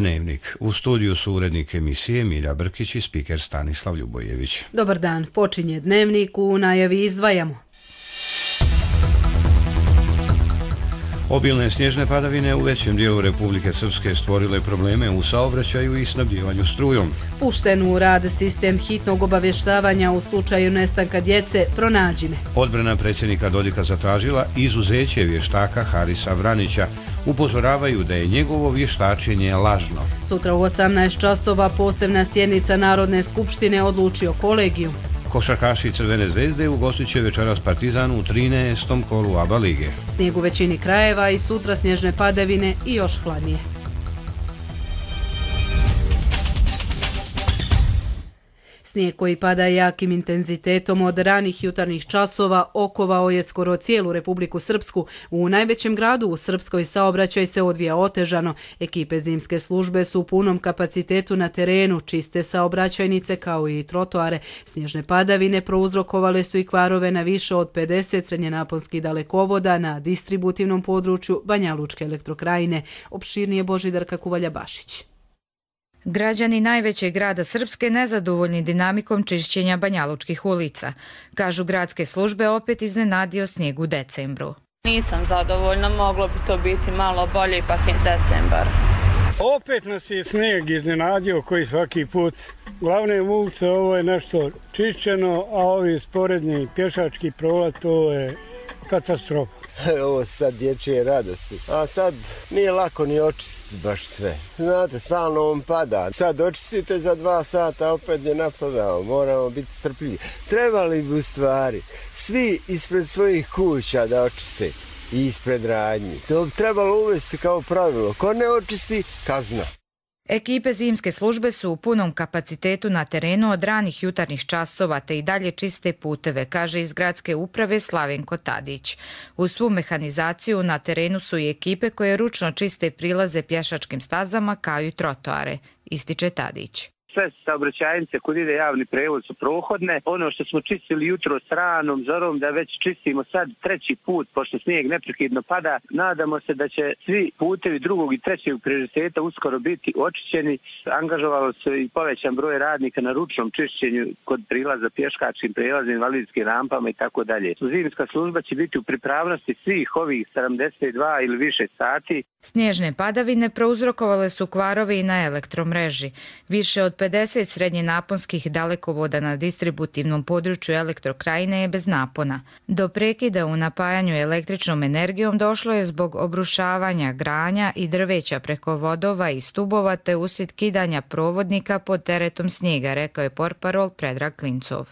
Dnevnik. U studiju su urednik emisije Milja Brkić i spiker Stanislav Ljubojević. Dobar dan, počinje Dnevnik, u najavi izdvajamo. Obilne snježne padavine u većem dijelu Republike Srpske stvorile probleme u saobraćaju i snabdijevanju strujom. Pušten u rad sistem hitnog obavještavanja u slučaju nestanka djece Pronađi me. Odbrana predsjednika Dodika zatražila izuzeće vještaka Harisa Vranića. Upozoravaju da je njegovo vještačenje lažno. Sutra u 18 časova posebna sjednica Narodne skupštine odlučio kolegijum. Košarkaši Crvene zvezde ugostit će večeras Partizan u 13. kolu ABA lige. Snijeg u većini krajeva i sutra snježne padavine i još hladnije. Snijeg koji pada jakim intenzitetom od ranih jutarnjih časova okovao je skoro cijelu Republiku Srpsku. U najvećem gradu u Srpskoj saobraćaj se odvija otežano. Ekipe zimske službe su u punom kapacitetu na terenu, čiste saobraćajnice kao i trotoare. Snježne padavine prouzrokovale su i kvarove na više od 50 srednjenaponskih dalekovoda na distributivnom području Banjalučke elektrokrajine. Opširnije Božidarka Kuvalja-Bašić. Građani najvećeg grada Srpske nezadovoljni dinamikom čišćenja banjalučkih ulica. Kažu gradske službe opet iznenadio snijeg u decembru. Nisam zadovoljna, moglo bi to biti malo bolje, ipak je decembar. Opet nas je snijeg iznenadio koji svaki put. Glavne ulice ovo je nešto čišćeno, a ovi sporedni pješački prolaz to je katastrofa. Ovo sad dječje radosti. A sad nije lako ni očistiti baš sve. Znate, stalno on pada. Sad očistite za 2 sata, opet je napadao. Moramo biti strpljivi. Trebali bi u stvari svi ispred svojih kuća da očiste i ispred radnji. To bi trebalo uvesti kao pravilo. Ko ne očisti, kazna. Ekipe zimske službe su u punom kapacitetu na terenu od ranih jutarnjih časova te i dalje čiste puteve, kaže iz gradske uprave Slavenko Tadić. Uz svu mehanizaciju na terenu su i ekipe koje ručno čiste prilaze pješačkim stazama kao i trotoare, ističe Tadić. Sve saobraćajnice kud ide javni prevoz su prohodne. Ono što smo čistili jutro s ranom zorom da već čistimo sad 3. put, pošto snijeg neprekidno pada. Nadamo se da će svi putevi 2. i 3. prioriteta uskoro biti očišćeni. Angažovalo se i povećan broj radnika na ručnom čišćenju kod prilaza pješačkim prelazima, invalidskim rampama i tako dalje. Zimska služba će biti u pripravnosti svih ovih 72 ili više sati. Snježne padavine prouzrokovale su kvarove i na elektromreži. Više od 50 srednjenaponskih dalekovoda na distributivnom području elektrokrajine je bez napona. Do prekida u napajanju električnom energijom došlo je zbog obrušavanja granja i drveća preko vodova i stubova te uslijed kidanja provodnika pod teretom snijega, rekao je portparol Predrag Klincov.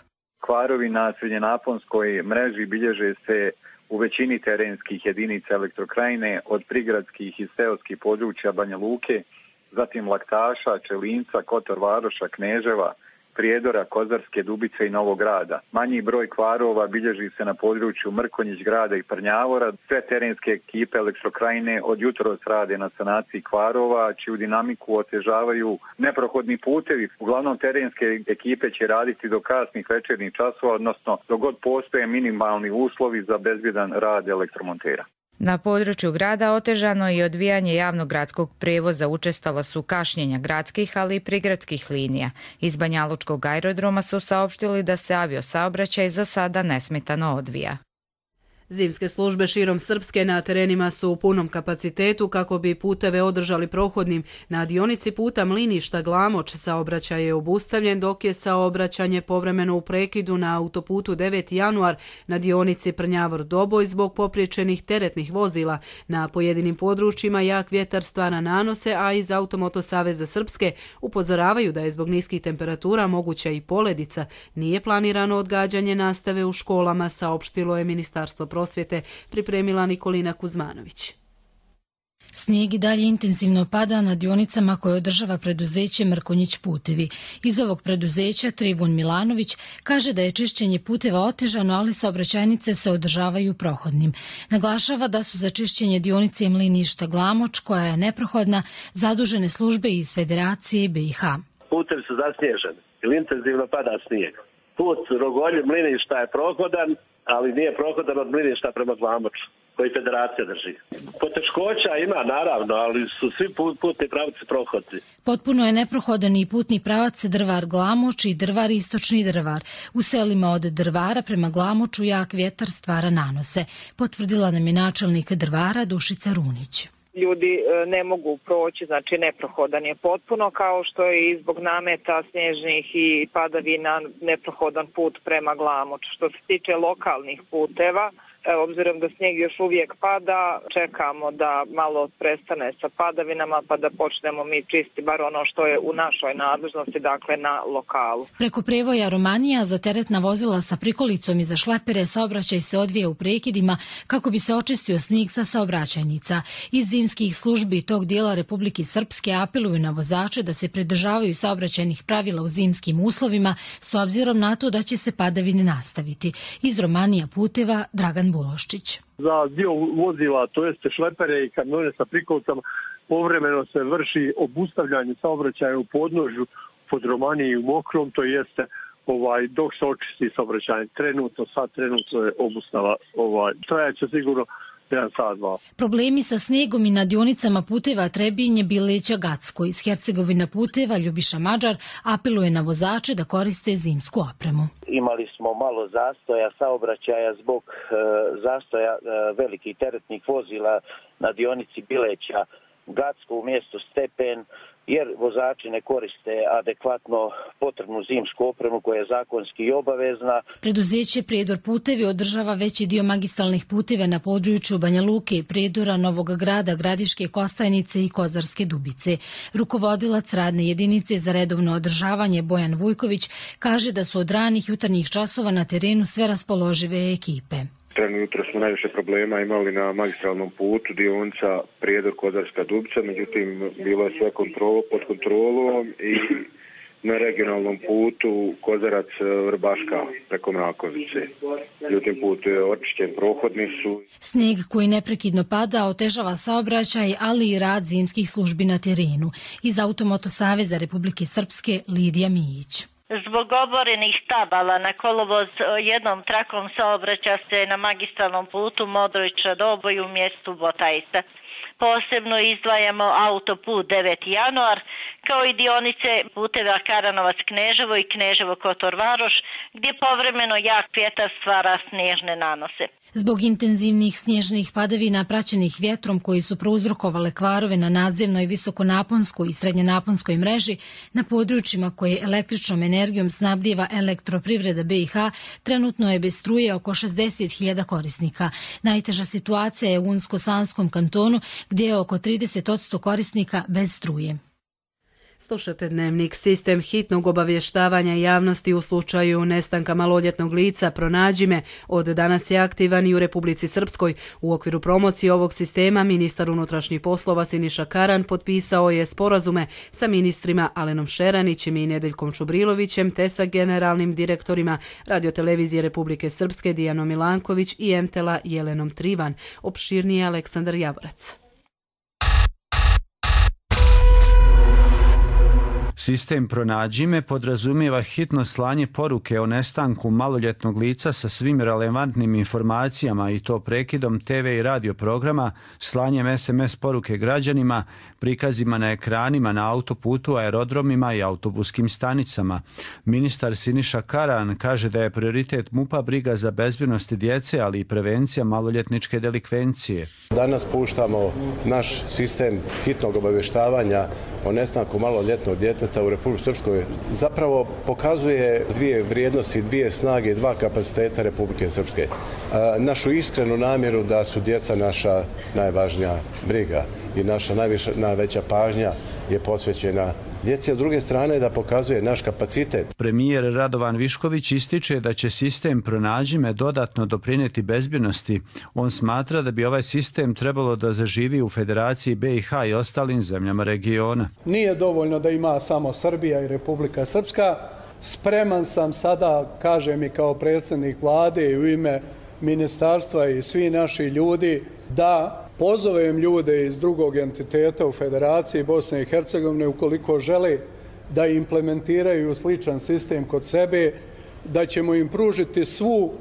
Kvarovi na srednjenaponskoj mreži bilježe se u većini terenskih jedinica elektrokrajine od prigradskih i seoskih područja Banja Luke, zatim Laktaša, Čelinca, Kotor Varoša, Kneževa, Prijedora, Kozarske, Dubice i Novog Grada. Manji broj kvarova bilježi se na području Mrkonjić grada i Prnjavora. Sve terenske ekipe elektrokrajine od jutros rade na sanaciji kvarova, čiju dinamiku otežavaju neprohodni putevi. Uglavnom terenske ekipe će raditi do kasnih večernjih časova, odnosno dok god postoje minimalni uslovi za bezbjedan rad elektromontera. Na području grada otežano je odvijanje javnog gradskog prevoza, učestala su kašnjenja gradskih, ali i prigradskih linija. Iz Banjalučkog aerodroma su saopštili da se aviosaobraćaj za sada nesmetano odvija. Zimske službe širom Srpske na terenima su u punom kapacitetu kako bi puteve održali prohodnim. Na dionici puta Mliništa-Glamoč saobraćaj je obustavljen, dok je saobraćanje povremeno u prekidu na autoputu 9. januar na dionici Prnjavor-Doboj zbog popriječenih teretnih vozila. Na pojedinim područjima jak vjetar stvara nanose, a iz Automoto Saveza Srpske upozoravaju da je zbog niskih temperatura moguća i poledica. Nije planirano odgađanje nastave u školama, saopštilo je Ministarstvo prosvjete, pripremila Nikolina Kuzmanović. Snijeg i dalje intenzivno pada na dionicama koje održava preduzeće Mrkonjić putevi. Iz ovog preduzeća Trivun Milanović kaže da je čišćenje puteva otežano, ali saobraćajnice se održavaju prohodnim. Naglašava da su za čišćenje dionice Mliništa-Glamoč, koja je neprohodna, zadužene službe iz Federacije BiH. Putevi su zasnježeni ili intenzivno pada snijeg. Put Rogolje Mliništa je prohodan, ali nije prohodan od Mliništa prema Glamoču. koji federacija drži. Poteškoća ima naravno, ali su svi putni pravci prohodni. Potpuno je neprohodan i putni pravac Drvar-Glamoč i Drvar-Istočni Drvar. U selima od Drvara prema Glamoču jak vjetar stvara nanose, potvrdila nam je načelnik Drvara Dušica Runić. Ljudi ne mogu proći, znači neprohodan je potpuno, kao što je i zbog nameta snježnih i padavina neprohodan put prema Glamoču. Što se tiče lokalnih puteva, obzirom da snijeg još uvijek pada, čekamo da malo prestane sa padavinama pa da počnemo mi čisti bar ono što je u našoj nadležnosti, dakle na lokalu. Preko prevoja Romanija za teretna vozila sa prikolicom i za šlepere saobraćaj se odvija u prekidima kako bi se očistio snijeg sa saobraćajnica. Iz zimskih službi tog dijela Republike Srpske apeluju na vozače da se pridržavaju saobraćajnih pravila u zimskim uslovima s obzirom na to da će se padavine nastaviti. Iz Romanija puteva Dragan Buloščić. Za dio vozila, to jeste šlepere i kamione sa prikolicama, povremeno se vrši obustavljanje saobraćaja u podnožju pod Romaniji i u Mokrom, to jeste dok se očisti saobraćaj. Trenutno je obustava. Trajaće sigurno 1 sat, 2. Problemi sa snijegom i na dionicama puteva Trebinje, Bileća, Gacko. Iz Hercegovina puteva Ljubiša Mađar apeluje na vozače da koriste zimsku opremu. Imali smo malo zastoja saobraćaja zbog zastoja velikih teretnih vozila na dionici Bileća, Gacko u mjestu Stepen, jer vozači ne koriste adekvatno potrebnu zimsku opremu koja je zakonski i obavezna. Preduzeće Prijedor putevi održava veći dio magistralnih puteva na području Banja Luke, Prijedora, Novog Grada, Gradiške Kostajnice i Kozarske Dubice. Rukovodilac radne jedinice za redovno održavanje Bojan Vujković kaže da su od ranih jutarnjih časova na terenu sve raspoložive ekipe. Trenutno jutro smo najviše problema imali na magistralnom putu, dionica Prijedor Kozarska Dubica, međutim bilo je sve pod kontrolom i na regionalnom putu Kozarac Vrbaška preko Mrakovice. Međutim put je očišćen, prohodni su. Snijeg koji neprekidno pada otežava saobraćaj, ali i rad zimskih službi na terenu. Iz Automoto Saveza Republike Srpske Lidija Mijić. Zbog oborenih stabala na kolovoz jednom trakom saobraća se na magistralnom putu Modrić-Doboj u mjestu Botajsa. Posebno izdvajamo autoput 9. januar, kao i dionice puteva Karanovac-Kneževo i Kneževo-Kotor-Varoš, gdje povremeno jak vjetar stvara snježne nanose. Zbog intenzivnih snježnih padavina praćenih vjetrom koji su prouzrokovale kvarove na nadzemnoj visokonaponskoj i srednjenaponskoj mreži, na područjima koje električnom energijom snabdijeva Elektroprivreda BiH, trenutno je bez struje oko 60.000 korisnika. Najteža situacija je u Unsko-Sanskom kantonu, gdje je oko 30% korisnika bez struje. Slušate Dnevnik. Sistem hitnog obavještavanja javnosti u slučaju nestanka maloljetnog lica Pronađi me od danas je aktivan i u Republici Srpskoj. U okviru promocije ovog sistema ministar unutrašnjih poslova Siniša Karan potpisao je sporazume sa ministrima Alenom Šeranićem i Nedeljkom Čubrilovićem te sa generalnim direktorima Radiotelevizije Republike Srpske Dijanom Milanković i MTL-a Jelenom Trivan. Opširnije Aleksandar Javorac. Sistem Pronađi me podrazumijeva hitno slanje poruke o nestanku maloljetnog lica sa svim relevantnim informacijama i to prekidom TV i radio programa, slanjem SMS poruke građanima, prikazima na ekranima na autoputu, aerodromima i autobuskim stanicama. Ministar Siniša Karan kaže da je prioritet MUP-a briga za bezbjednost djece, ali i prevencija maloljetničke delikvencije. Danas puštamo naš sistem hitnog obavještavanja o nestanku maloljetnog djeteta u Republici Srpskoj. Zapravo pokazuje dvije vrijednosti, dvije snage, dva kapaciteta Republike Srpske. Našu iskrenu namjeru da su djeca naša najvažnija briga i naša najveća pažnja je posvećena djeci, a s druge strane da pokazuje naš kapacitet. Premijer Radovan Višković ističe da će sistem Pronađi me dodatno doprinijeti bezbjednosti. On smatra da bi ovaj sistem trebalo da zaživi u Federaciji BiH i ostalim zemljama regiona. Nije dovoljno da ima samo Srbija i Republika Srpska. Spreman sam sada, kažem i kao predsjednik vlade i u ime ministarstva i svi naši ljudi, da pozovem ljude iz drugog entiteta u Federaciji Bosne i Hercegovine ukoliko žele da implementiraju sličan sistem kod sebe, da ćemo im pružiti svu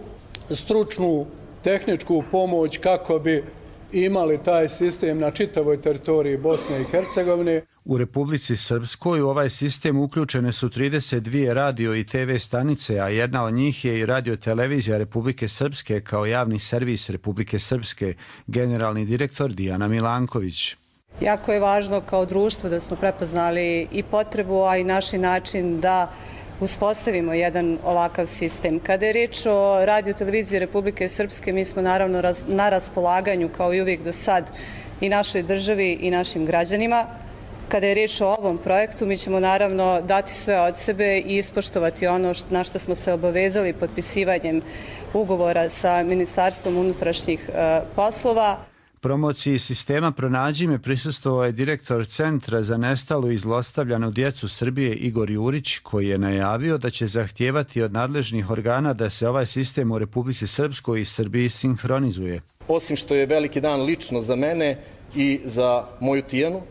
stručnu tehničku pomoć kako bi imali taj sistem na čitavoj teritoriji Bosne i Hercegovine. U Republici Srpskoj u ovaj sistem uključene su 32 radio i TV stanice, a jedna od njih je i Radio-televizija Republike Srpske kao javni servis Republike Srpske, generalni direktor Dijana Milanković. Jako je važno kao društvo da smo prepoznali i potrebu, a i naši način da uspostavimo jedan ovakav sistem. Kada je riječ o Radio-televiziji Republike Srpske, mi smo naravno na raspolaganju kao i uvijek do sad i našoj državi i našim građanima. Kada je riječ o ovom projektu, mi ćemo naravno dati sve od sebe i ispoštovati ono na što smo se obavezali potpisivanjem ugovora sa Ministarstvom unutrašnjih poslova. Promociji sistema Pronađi me prisustvovao je direktor Centra za nestalu i zlostavljanu djecu Srbije Igor Jurić, koji je najavio da će zahtijevati od nadležnih organa da se ovaj sistem u Republici Srpskoj i Srbiji sinhronizuje. Osim što je veliki dan lično za mene i za moju Tijanu,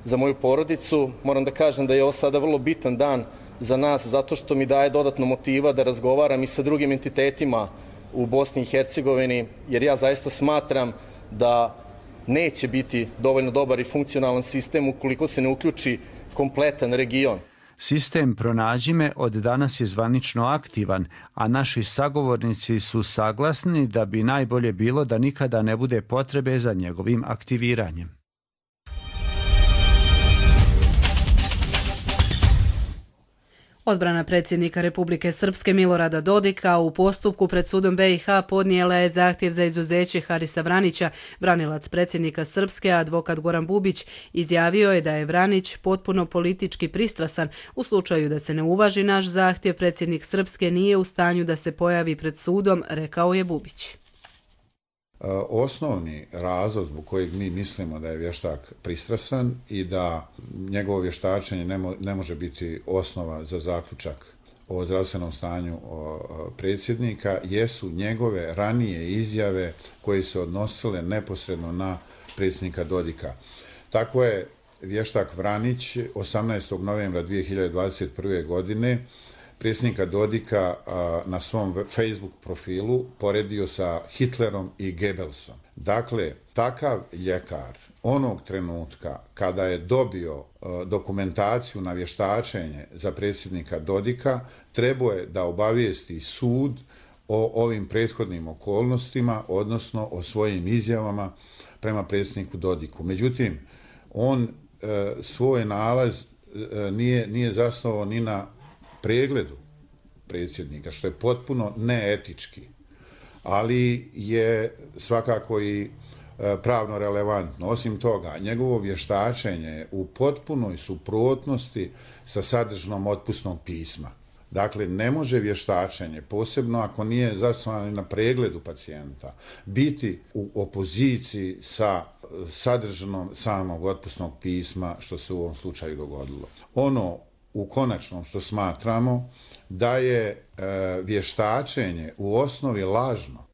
za moju porodicu, moram da kažem da je ovo sada vrlo bitan dan za nas zato što mi daje dodatno motiva da razgovaram i sa drugim entitetima u Bosni i Hercegovini, jer ja zaista smatram da neće biti dovoljno dobar i funkcionalan sistem ukoliko se ne uključi kompletan region. Sistem Pronađi me od danas je zvanično aktivan, a naši sagovornici su saglasni da bi najbolje bilo da nikada ne bude potrebe za njegovim aktiviranjem. Odbrana predsjednika Republike Srpske Milorada Dodika u postupku pred sudom BiH podnijela je zahtjev za izuzeće Harisa Vranića. Branilac predsjednika Srpske, advokat Goran Bubić, izjavio je da je Vranić potpuno politički pristrasan. U slučaju da se ne uvaži naš zahtjev, predsjednik Srpske nije u stanju da se pojavi pred sudom, rekao je Bubić. Osnovni razlog zbog kojeg mi mislimo da je vještak pristrasan i da njegovo vještačenje ne može biti osnova za zaključak o zdravstvenom stanju predsjednika jesu njegove ranije izjave koje se odnosile neposredno na predsjednika Dodika. Tako je vještak Vranić 18. novembra 2021. godine predsjednika Dodika na svom Facebook profilu poredio sa Hitlerom i Goebbelsom. Dakle, takav ljekar onog trenutka kada je dobio dokumentaciju na vještačenje za predsjednika Dodika, trebao je da obavijesti sud o ovim prethodnim okolnostima, odnosno o svojim izjavama prema predsjedniku Dodiku. Međutim, on svoj nalaz nije zasnovao ni na pregledu predsjednika, što je potpuno neetički, ali je svakako i pravno relevantno. Osim toga, njegovo vještačenje je u potpunoj suprotnosti sa sadržinom otpusnog pisma. Dakle, ne može vještačenje, posebno ako nije zasnovano na pregledu pacijenta, biti u opoziciji sa sadržinom samog otpusnog pisma, što se u ovom slučaju dogodilo. Ono u konačnom što smatramo da je vještačenje u osnovi lažno.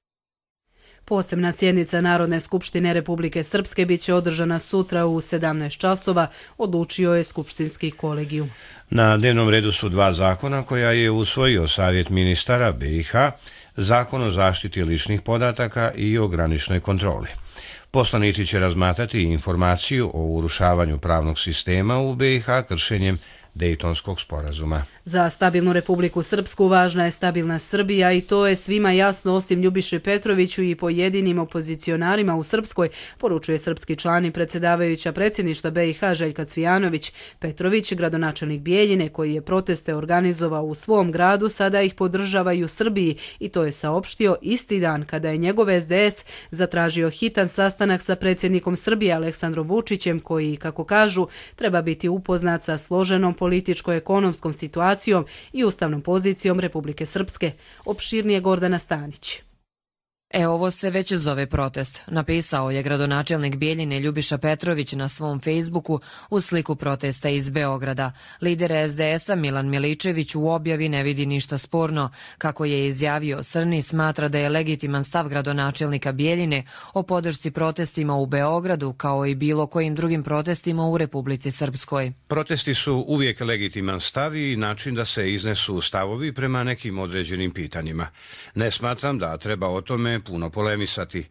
Posebna sjednica Narodne skupštine Republike Srpske biće održana sutra u 17 časova, odlučio je skupštinski kolegijum. Na dnevnom redu su dva zakona koja je usvojio Savjet ministara BiH, Zakon o zaštiti ličnih podataka i o graničnoj kontroli. Poslanici će razmatrati informaciju o urušavanju pravnog sistema u BiH kršenjem Dejtonskog sporazuma. Za stabilnu Republiku Srpsku važna je stabilna Srbija i to je svima jasno osim Ljubiši Petroviću i pojedinim opozicionarima u Srpskoj, poručuje srpski član i predsjedavajuća predsjedništva BiH Željka Cvijanović. Petrović, gradonačelnik Bijeljine, koji je proteste organizovao u svom gradu, sada ih podržava i u Srbiji i to je saopštio isti dan kada je njegov SDS zatražio hitan sastanak sa predsjednikom Srbije Aleksandrom Vučićem, koji, kako kažu, treba biti upoznat sa složenom političko-ekonomskom situacijom i ustavnom pozicijom Republike Srpske. Opširnije Gordana Stanić. Ovo se već zove protest, napisao je gradonačelnik Bijeljine Ljubiša Petrović na svom Facebooku u sliku protesta iz Beograda. Lider SDS-a Milan Miličević u objavi ne vidi ništa sporno. Kako je izjavio Srni, smatra da je legitiman stav gradonačelnika Bijeljine o podršci protestima u Beogradu kao i bilo kojim drugim protestima u Republici Srpskoj. Protesti su uvijek legitiman stav i način da se iznesu stavovi prema nekim određenim pitanjima. Ne smatram da treba o tome tome puno polemisati.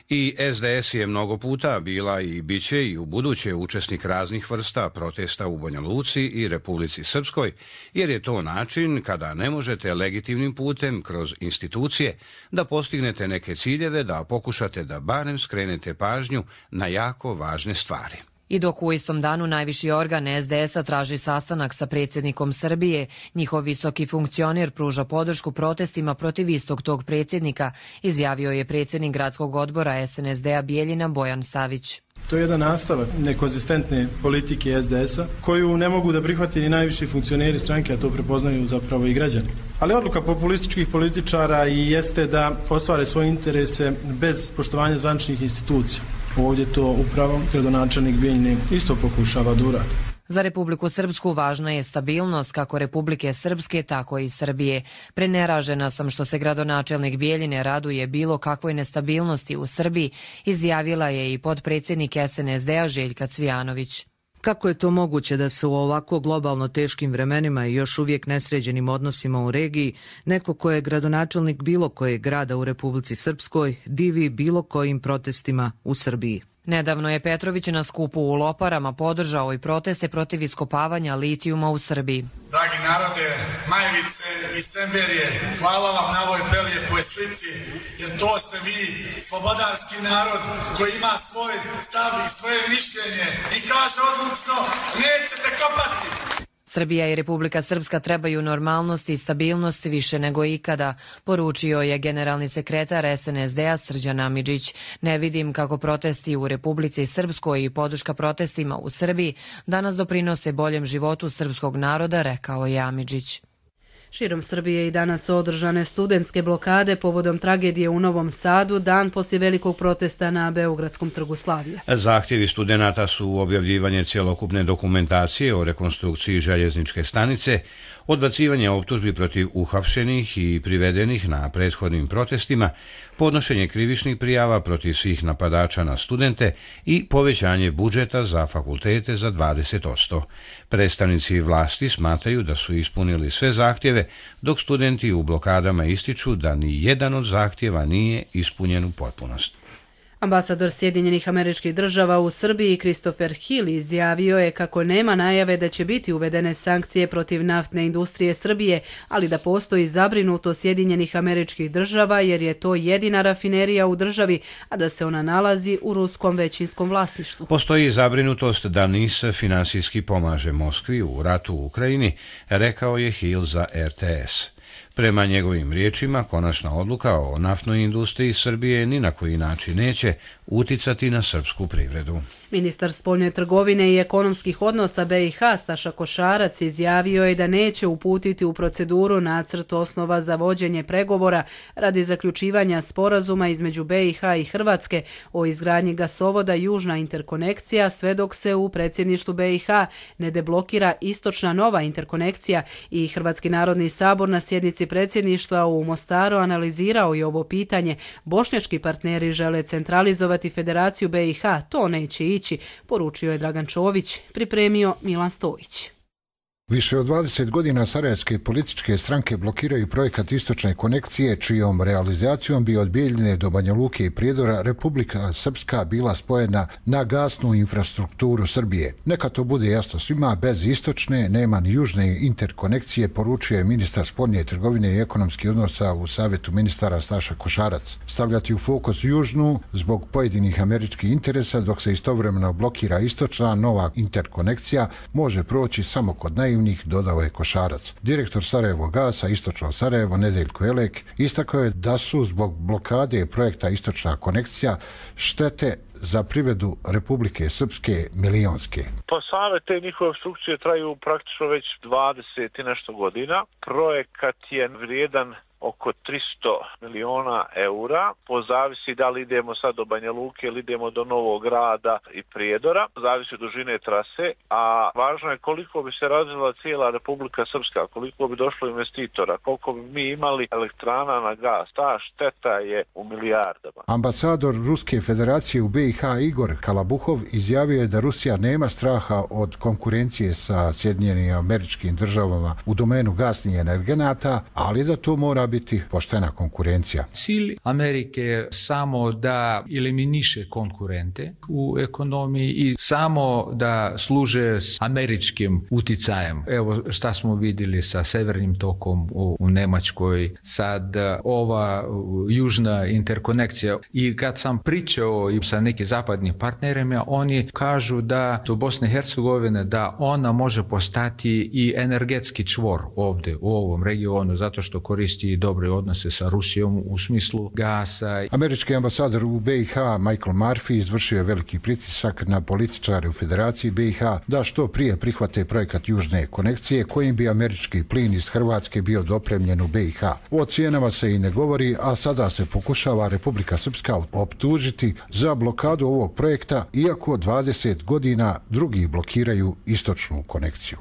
I SDS je mnogo puta bila i biće i u buduće učesnik raznih vrsta protesta u Banja Luci i Republici Srpskoj, jer je to način kada ne možete legitimnim putem kroz institucije da postignete neke ciljeve, da pokušate da barem skrenete pažnju na jako važne stvari. I dok u istom danu najviši organ SDS-a traži sastanak sa predsjednikom Srbije, njihov visoki funkcioner pruža podršku protestima protiv istog tog predsjednika, izjavio je predsjednik gradskog odbora SNSD-a Bijeljina Bojan Savić. To je jedan nastavak nekonzistentne politike SDS-a koju ne mogu da prihvati ni najviši funkcioneri stranke, a to prepoznaju zapravo i građani. Ali odluka populističkih političara i jeste da ostvare svoje interese bez poštovanja zvaničnih institucija. Ovdje to upravo gradonačelnik Bijeljine isto pokušava da uradi. Za Republiku Srpsku važna je stabilnost kako Republike Srpske, tako i Srbije. Preneražena sam što se gradonačelnik Bijeljine raduje bilo kakvoj nestabilnosti u Srbiji, izjavila je i potpredsjednik SNSD-a Željka Cvijanović. Kako je to moguće da se u ovako globalno teškim vremenima i još uvijek nesređenim odnosima u regiji neko ko je gradonačelnik bilo kojeg grada u Republici Srpskoj divi bilo kojim protestima u Srbiji? Nedavno je Petrović na skupu u Loparama podržao i proteste protiv iskopavanja litijuma u Srbiji. Dragi narode, Majevice i Semberije, hvala vam na ovoj prelijepoj slici, jer to ste vi, slobodarski narod koji ima svoj stav i svoje mišljenje i kaže odlučno, nećete kopati. Srbija i Republika Srpska trebaju normalnost i stabilnost više nego ikada, poručio je generalni sekretar SNSD-a Srđan Amidžić. Ne vidim kako protesti u Republici Srpskoj i podrška protestima u Srbiji danas doprinose boljem životu srpskog naroda, rekao je Amidžić. Širom Srbije i danas održane studentske blokade povodom tragedije u Novom Sadu, dan poslije velikog protesta na Beogradskom trgu Slavija. Zahtjevi studenata su objavljivanje cjelokupne dokumentacije o rekonstrukciji željezničke stanice, odbacivanje optužbi protiv uhapšenih i privedenih na prethodnim protestima, podnošenje krivičnih prijava protiv svih napadača na studente i povećanje budžeta za fakultete za 20%. Predstavnici vlasti smatraju da su ispunili sve zahtjeve, dok studenti u blokadama ističu da ni jedan od zahtjeva nije ispunjen u potpunosti. Ambasador Sjedinjenih Američkih Država u Srbiji Christopher Hill izjavio je kako nema najave da će biti uvedene sankcije protiv naftne industrije Srbije, ali da postoji zabrinutost Sjedinjenih Američkih Država jer je to jedina rafinerija u državi, a da se ona nalazi u ruskom većinskom vlasništvu. Postoji zabrinutost da NIS finansijski pomaže Moskvi u ratu u Ukrajini, rekao je Hill za RTS. Prema njegovim riječima, konačna odluka o naftnoj industriji Srbije ni na koji način neće uticati na srpsku privredu. Ministar spoljne trgovine i ekonomskih odnosa BiH Staša Košarac izjavio je da neće uputiti u proceduru nacrt osnova za vođenje pregovora radi zaključivanja sporazuma između BiH i Hrvatske o izgradnji gasovoda Južna interkonekcija sve dok se u predsjedništvu BiH ne deblokira istočna nova interkonekcija i Hrvatski narodni sabor na sjednici predsjedništva u Mostaru analizirao je ovo pitanje. Bošnjački partneri žele centralizovati Federaciju BiH, to neće ići, poručio je Dragan Čović, pripremio Milan Stojić. Više od 20 godina sarajevske političke stranke blokiraju projekat istočne konekcije, čijom realizacijom bi od Bijeljine do Banja Luke i Prijedora Republika Srpska bila spojena na gasnu infrastrukturu Srbije. Neka to bude jasno svima, bez istočne nema ni južne interkonekcije, poručio je ministar spoljne trgovine i ekonomskih odnosa u Savjetu ministara Staša Košarac. Stavljati u fokus južnu zbog pojedinih američkih interesa, dok se istovremeno blokira istočna nova interkonekcija, može proći samo kod naivnih, dodao je Košarac. Direktor Sarajevo Gasa, Istočno Sarajevo, Nedeljko Elek, istakao je da su zbog blokade projekta Istočna konekcija štete za privredu Republike Srpske milionske. Pa same te njihove obstrukcije traju praktično već 20 i nešto godina. Projekat je vrijedan oko 300 miliona eura. Pozavisi da li idemo sad do Banja Luke ili idemo do Novog Grada i Prijedora. Zavisi od dužine trase, a važno je koliko bi se razvila cijela Republika Srpska, koliko bi došlo investitora, koliko bi mi imali elektrana na gas. Ta šteta je u milijardama. Ambasador Ruske federacije u BiH Igor Kalabuhov izjavio je da Rusija nema straha od konkurencije sa Sjedinjenim Američkim Državama u domenu gasnih energenata, ali da to mora biti biti poštena konkurencija. Cilj Amerike je samo da eliminiše konkurente u ekonomiji i samo da služe s američkim uticajem. Evo šta smo vidjeli sa Severnim tokom u Nemačkoj, sad ova južna interkonekcija. I kad sam pričao i sa nekim zapadnim partnerima, oni kažu da do Bosne i Hercegovine da ona može postati i energetski čvor ovdje u ovom regionu zato što koristi dobre odnose sa Rusijom u smislu gasa. Američki ambasador u BiH Michael Murphy izvršio je veliki pritisak na političare u Federaciji BiH da što prije prihvate projekat južne konekcije kojim bi američki plin iz Hrvatske bio dopremljen u BiH. O cijenama se i ne govori, a sada se pokušava Republika Srpska optužiti za blokadu ovog projekta, iako 20 godina drugi blokiraju istočnu konekciju.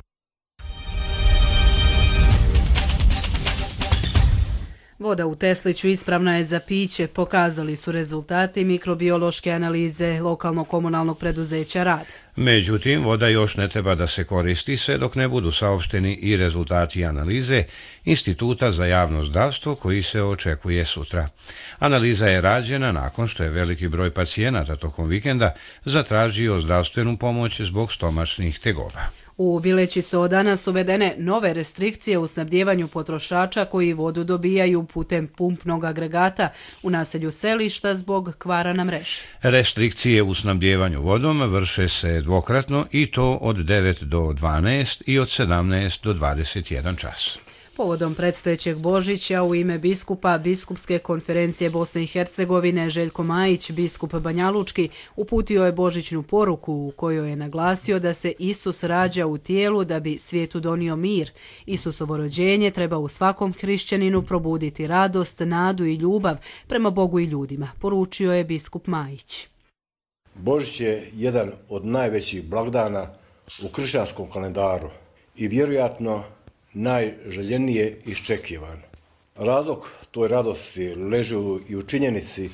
Voda u Tesliću ispravna je za piće, pokazali su rezultati mikrobiološke analize lokalnog komunalnog preduzeća Rad. Međutim, voda još ne treba da se koristi sve dok ne budu saopšteni i rezultati analize Instituta za javno zdravstvo koji se očekuje sutra. Analiza je rađena nakon što je veliki broj pacijenata tokom vikenda zatražio zdravstvenu pomoć zbog stomačnih tegoba. U Bileći su od danas uvedene nove restrikcije u snabdjevanju potrošača koji vodu dobijaju putem pumpnog agregata u naselju Selišta zbog kvara na mreži. Restrikcije u snabdjevanju vodom vrše se dvokratno i to od 9 do 12 i od 17 do 21 čas. Povodom predstojećeg Božića u ime biskupa Biskupske konferencije Bosne i Hercegovine Željko Majić, biskup Banjalučki, uputio je božićnu poruku u kojoj je naglasio da se Isus rađa u tijelu da bi svijetu donio mir. Isusovo rođenje treba u svakom hrišćaninu probuditi radost, nadu i ljubav prema Bogu i ljudima, poručio je biskup Majić. Božić je jedan od najvećih blagdana u kršćanskom kalendaru i vjerojatno najželjenije iščekivan. Razlog toj radosti leži i u činjenici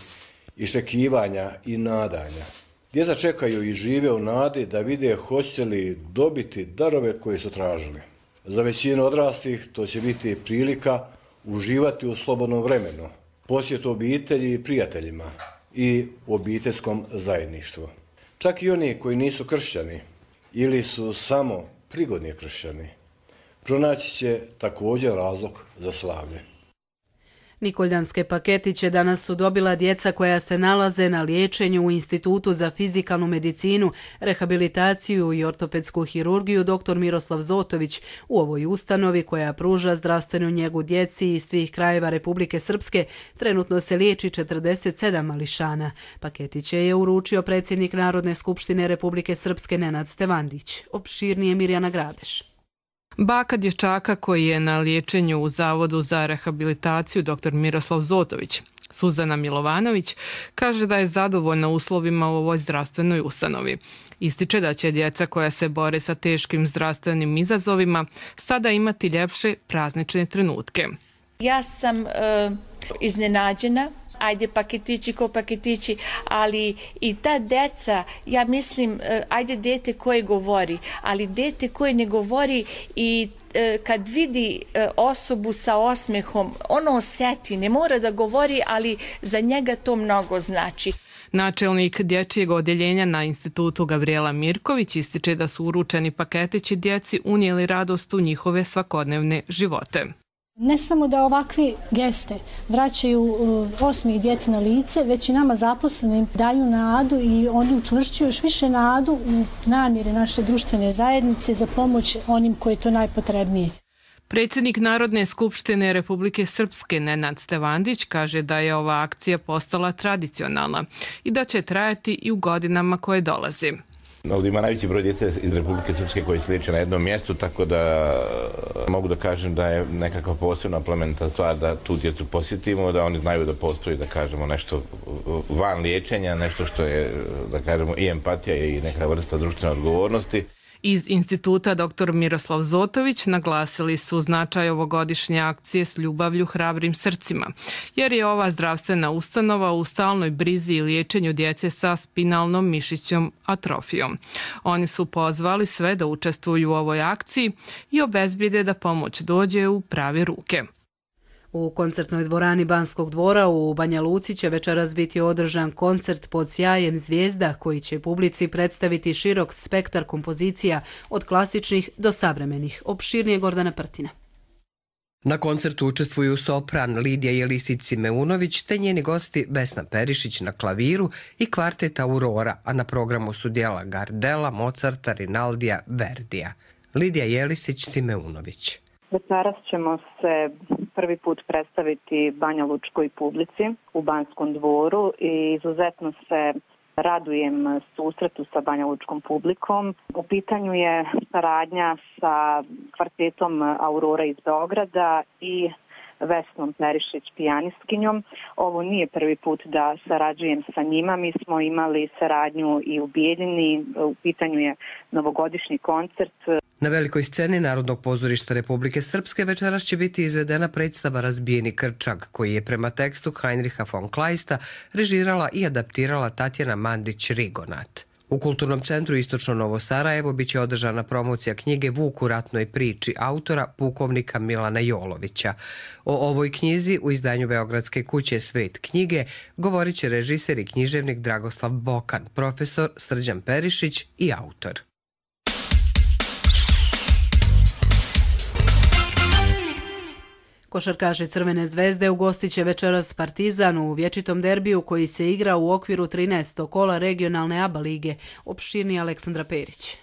iščekivanja i nadanja. Djeca čekaju i žive u nadi da vide hoće li dobiti darove koje su tražili. Za većinu odraslih to će biti prilika uživati u slobodnom vremenu, posjetu obitelji i prijateljima i obiteljskom zajedništvu. Čak i oni koji nisu kršćani ili su samo prigodni kršćani pronaći će također razlog za slavlje. Nikoljanske paketiće danas su dobila djeca koja se nalaze na liječenju u Institutu za fizikalnu medicinu, rehabilitaciju i ortopedsku hirurgiju dr. Miroslav Zotović. U ovoj ustanovi koja pruža zdravstvenu njegu djeci iz svih krajeva Republike Srpske trenutno se liječi 47 mališana. Paketiće je uručio predsjednik Narodne skupštine Republike Srpske Nenad Stevandić. Opširnije Mirjana Grabeš. Baka dječaka koji je na liječenju u Zavodu za rehabilitaciju dr. Miroslav Zotović, Suzana Milovanović, kaže da je zadovoljna uslovima u ovoj zdravstvenoj ustanovi. Ističe da će djeca koja se bore sa teškim zdravstvenim izazovima sada imati ljepše praznične trenutke. Ja sam iznenađena. Ajde paketići ko paketići, ali i ta deca, ja mislim, ajde dete koje govori, ali dete koje ne govori i kad vidi osobu sa osmehom, ono osjeti, ne mora da govori, ali za njega to mnogo znači. Načelnik dječjeg odjeljenja na institutu Gabrijela Mirković ističe da su uručeni paketići djeci unijeli radost u njihove svakodnevne živote. Ne samo da ovakve geste vraćaju osmijeh djeci na lice, već i nama zaposlenim daju nadu i oni učvršćuju još više nadu u namjere naše društvene zajednice za pomoć onim koji je to najpotrebnije. Predsjednik Narodne skupštine Republike Srpske Nenad Stevandić kaže da je ova akcija postala tradicionalna i da će trajati i u godinama koje dolaze. Ovdje ima najveći broj djece iz Republike Srpske koji se liječe na jednom mjestu, tako da mogu da kažem da je nekakva posebna plemenita stvar da tu djecu posjetimo, da oni znaju da postoji, da kažemo, nešto van liječenja, nešto što je, da kažemo, i empatija i neka vrsta društvene odgovornosti. Iz instituta dr. Miroslav Zotović naglasili su značaj ovogodišnje akcije s ljubavlju hrabrim srcima, jer je ova zdravstvena ustanova u stalnoj brizi i liječenju djece sa spinalnom mišićnom atrofijom. Oni su pozvali sve da učestvuju u ovoj akciji i obezbijede da pomoć dođe u prave ruke. U koncertnoj dvorani Banskog dvora u Banja Luci će večeras biti održan koncert pod sjajem zvijezda koji će publici predstaviti širok spektar kompozicija od klasičnih do savremenih. Opširnije Gordana Prtina. Na koncertu učestvuju sopran Lidija Jelisić-Simeunović te njeni gosti Vesna Perišić na klaviru i kvartet Aurora, a na programu su djela Gardela, Mozarta, Rinaldija, Verdija. Lidija Jelisić-Simeunović. Večeras ćemo se prvi put predstaviti Banja Lučkoj publici u Banskom dvoru i izuzetno se radujem susretu sa Banja Lučkom publikom. U pitanju je saradnja sa kvartetom Aurora iz Beograda i Vesnom Perišić pijanistkinjom. Ovo nije prvi put da sarađujem sa njima. Mi smo imali saradnju i u Bijeljini. U pitanju je novogodišnji koncert. Na velikoj sceni Narodnog pozorišta Republike Srpske večeras će biti izvedena predstava Razbijeni krčak, koji je prema tekstu Heinricha von Kleista režirala i adaptirala Tatjana Mandić-Rigonat. U Kulturnom centru Istočno Novo Sarajevo biće održana promocija knjige Vuk u ratnoj priči autora pukovnika Milana Jolovića. O ovoj knjizi u izdanju Beogradske kuće Svet knjige govorit će režiser i književnik Dragoslav Bokan, profesor Srđan Perišić i autor. Košarkaši Crvene zvezde ugostit će večeras Partizan u vječitom derbiju koji se igra u okviru 13. kola regionalne ABA lige. Opširni Aleksandra Perić.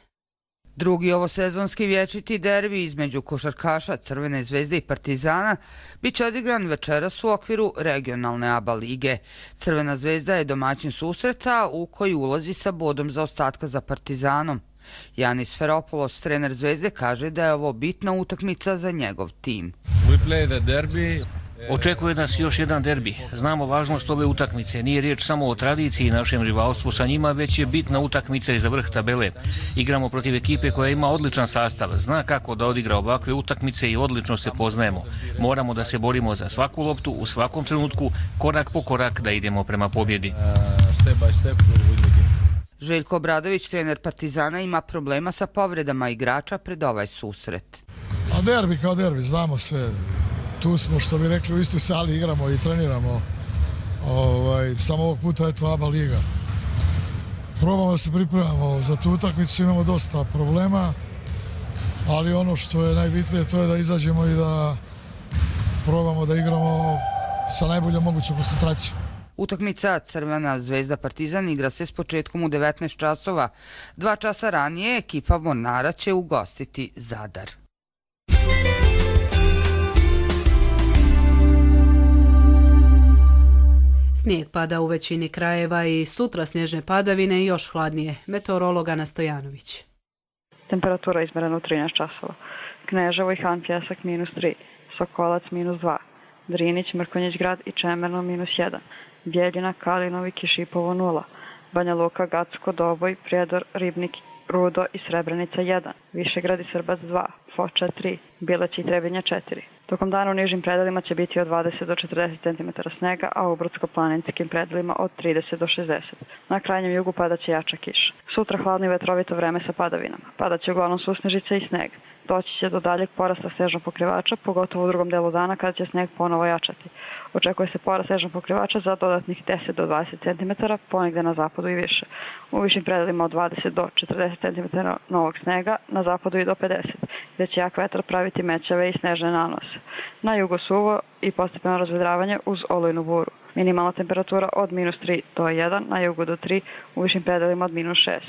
Drugi ovosezonski vječiti derbi između košarkaša Crvene zvezde i Partizana biće odigran večeras u okviru regionalne ABA lige. Crvena zvezda je domaćin susreta u koji ulazi sa bodom zaostatka za Partizanom. Janis Feropoulos, trener Zvezde, kaže da je ovo bitna utakmica za njegov tim. Očekuje nas još jedan derbi. Znamo važnost ove utakmice. Nije riječ samo o tradiciji i našem rivalstvu sa njima, već je bitna utakmica i za vrh tabele. Igramo protiv ekipe koja ima odličan sastav, zna kako da odigra ovakve utakmice i odlično se poznajemo. Moramo da se borimo za svaku loptu u svakom trenutku, korak po korak da idemo prema pobjedi. Željko Obradović, trener Partizana, ima problema sa povredama igrača pred ovaj susret. A derbi kao derbi, znamo sve. Tu smo, što bi rekli, u istoj sali igramo i treniramo. Samo ovog puta je to ABA liga. Probamo da se pripremamo za tu utakmicu, imamo dosta problema, ali ono što je najbitnije to je da izađemo i da probamo da igramo sa najboljom mogućom koncentracijom. Utakmica Crvena zvezda Partizan igra se s početkom u 19 časova. 2 časa ranije ekipa Mornara će ugostiti Zadar. Snijeg pada u većini krajeva i sutra snježne padavine i još hladnije. Meteorolog Ana Stojanović. Temperatura izmerena u 13 časova. Kneževo i Han Pjesak -3, Sokolac -2, Drinić, Mrkonjić grad i Čemerno -1. Bijeljina, Kalinovi, Kišipovo 0, Banja Luka, Gacko, Doboj, Prijedor, Ribnik, Rudo i Srebrenica 1, Višegrad i Srbac 2, Foča 3, Bileć i Trebinja 4. Tokom dana u nižim predelima će biti od 20 do 40 cm snega, a u brdsko-planinskim predelima od 30 do 60. Na krajnjem jugu padaće jača kiša. Sutra hladno i vetrovito vreme sa padavinama. Padaće uglavnom susnežice i sneg. Doći će do daljeg porasta snežnog pokrivača, pogotovo u drugom delu dana kada će sneg ponovo jačati. Očekuje se porast snežnog pokrivača za dodatnih 10 do 20 cm, ponegde na zapadu i više. U višim predelima od 20 do 40 cm novog snega, na zapadu i do 50, gdje će jak vetar praviti mećave i snežne nanose. Na jugu suvo i postepeno razvedravanje uz olujnu buru. Minimalna temperatura od -3 do 1, na jugu do 3, u višim predelima od -6.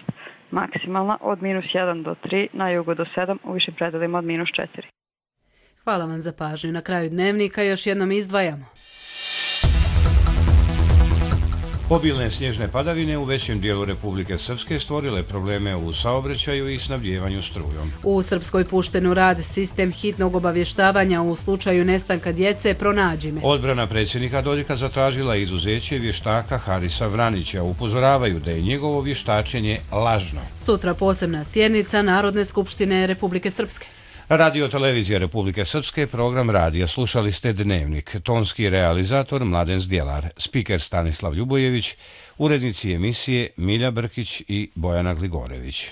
Maksimalna od -1 do 3, na jugu do 7, u višim predelima od -4. Hvala vam za pažnju. Na kraju dnevnika još jednom izdvajamo. Obilne snježne padavine u većem dijelu Republike Srpske stvorile probleme u saobraćaju i snabdjevanju strujom. U Srpskoj pušten u rad sistem hitnog obavještavanja u slučaju nestanka djece Pronađi me. Odbrana predsjednika Dodika zatražila izuzeće vještaka Harisa Vranića. Upozoravaju da je njegovo vještačenje lažno. Sutra posebna sjednica Narodne skupštine Republike Srpske. Radio televizija Republike Srpske, program radija. Slušali ste Dnevnik. Tonski realizator Mladen Zdjelar, spiker Stanislav Ljubojević, urednici emisije Milja Brkić i Bojana Gligorević.